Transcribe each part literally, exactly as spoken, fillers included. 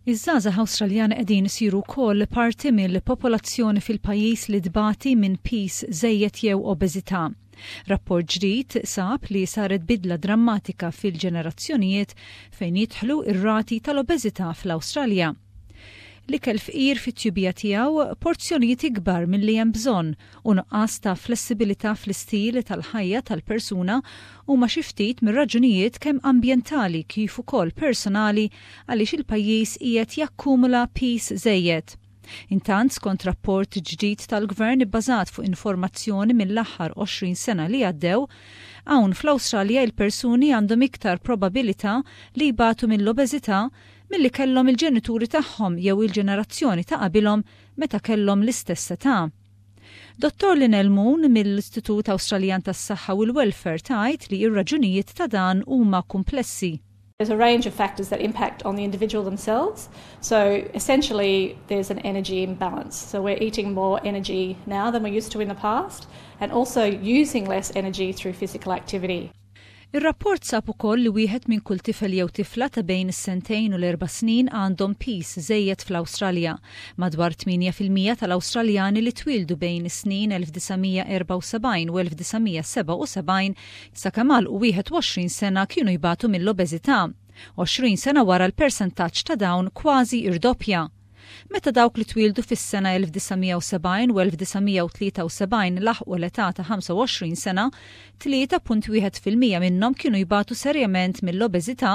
Iż-żgħażagħ Awstraljani qegħdin isiru wkoll parti mill-popolazzjoni fil-pajjiż li tbati minn piż żejjed jew obeżità. Rapport ġdid sab li saret bidla drammatika fil-ġenerazzjonijiet fejn jidħlu ir-rati tal-obeżità fl-Awstralja. L-ikel fqir fit-tjubija tiegħu, porzjonijiet ikbar milli hemm bżonn u nuqqas ta' flessibilità fl-istil tal-ħajja tal-persuna huma xi ftit mir-raġunijiet kemm ambjentali kif ukoll personali għaliex il-pajjiż qiegħed jakkumula piż żejjed. Intant, skont rapport ġdid tal-gvern ibbażat fuq informazzjoni mill-aħħar għoxrin sena li għaddew, hawn fl-Awstralja il-persuni għandhom iktar probabilità li jbatu mill-obeżità milli kellhom il-ġenituri tagħhom jew il-ġenerazzjoni ta' qabilhom meta kellhom l-istess età. Dottor Lynelle Moon mill-Istitut Awstraljan tas-Saħħa u l-Welfare tgħid li r-raġunijiet ta' dan huma komplessi. There's a range of factors that impact on the individual themselves. So essentially, there's an energy imbalance. So we're eating more energy now than we used to in the past, and also using less energy through physical activity. Ir-rapport sab ukoll li wieħed minn kull tifel jew tifla ta' bejn is-sentejn u l-erba' snin għandhom piż żejjed fl-Awstralja. Madwar tmienja fil-mija tal-Awstraljani li twildu bejn is-snin elf disa' mija erbgħa u sebgħin u elf disa' mija sebgħa u sebgħin sakemm għalqu wieħed u għoxrin sena kienu jbatu mill-obeżità. għoxrin sena wara l-persentaġġ ta' dawn kważi irdoppja. Meta dawk li twildu fis-sena elf disa' mija u sebgħin u elf disa' mija tlieta u sebgħin laħqu l-età ta' ħamsa u għoxrin sena, tlieta punt wieħed fil-mija minnhom kienu jbatu serjament mill-obeżità,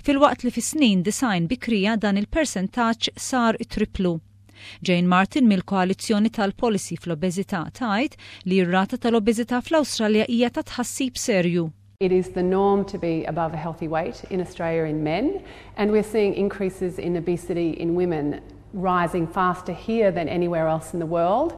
filwaqt li fis-snin disgħin bikrija dan il-persentaġġ sar triplu. Jane Martin mill-Koalizzjoni tal-Policy fl-Obeżità tgħid li r-rata tal-obeżità fl-Awstralja hija ta' tħassib serju. It is the norm to be above a healthy weight in Australia in men, and we're seeing increases in obesity in women rising faster here than anywhere else in the world.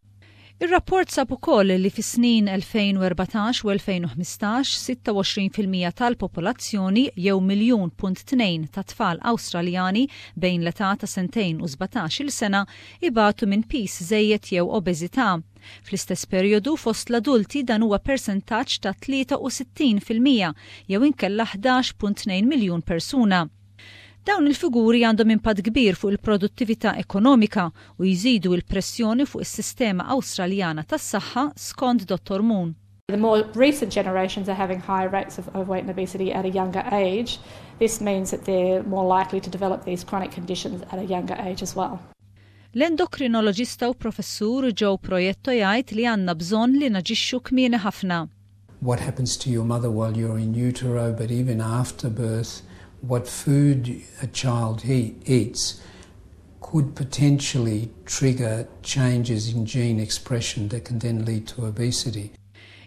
Ir-rapport sab ukoll li fis-snin elfejn u erbatax u elfejn u ħmistax, sitta u għoxrin fil-mija tal-popolazzjoni jew miljun punt tnejn ta' tfal Awstraljani bejn l-età ta' sentejn u sbatax-il sena ibatu minn piż żejjed jew obeżità. Fl-istess perjodu fost l-adulti dan huwa persentaġġ ta' tlieta u sittin fil-mija jew inkella ħdax punt tnejn miljun persuna. Dawn il-figuri għandhom impatt kbir fuq il-produttività ekonomika u jżidu il-pressjoni fuq is-sistema Awstraljana tas-saħħa, skont Dottor Moon. The more recent generations are having higher rates of overweight and obesity at a younger age. This means that they're more likely to develop these chronic conditions at a younger age as well. L-endokrinoloġista u professur Joe Proietto jgħid li għandna bżonn li naġixxu kmieni ħafna. What happens to your mother while you're in utero, but even after birth, what food a child he eats could potentially trigger changes in gene expression that can then lead to obesity.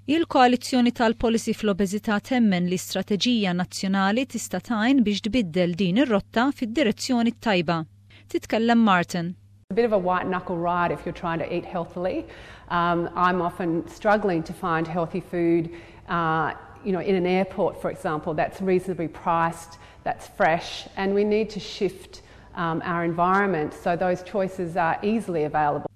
Il-Koalizzjoni tal-Policy fl-Obeżità temmen li strateġija nazzjonali tista' tgħin biex tbiddel din ir-rotta fid-direzzjoni tajba. Titkellem Martin. A bit of a white knuckle ride if you're trying to eat healthily. Um, I'm often struggling to find healthy food uh, you know, in an airport, for example, that's reasonably priced, that's fresh, and we need to shift um, our environment so those choices are easily available.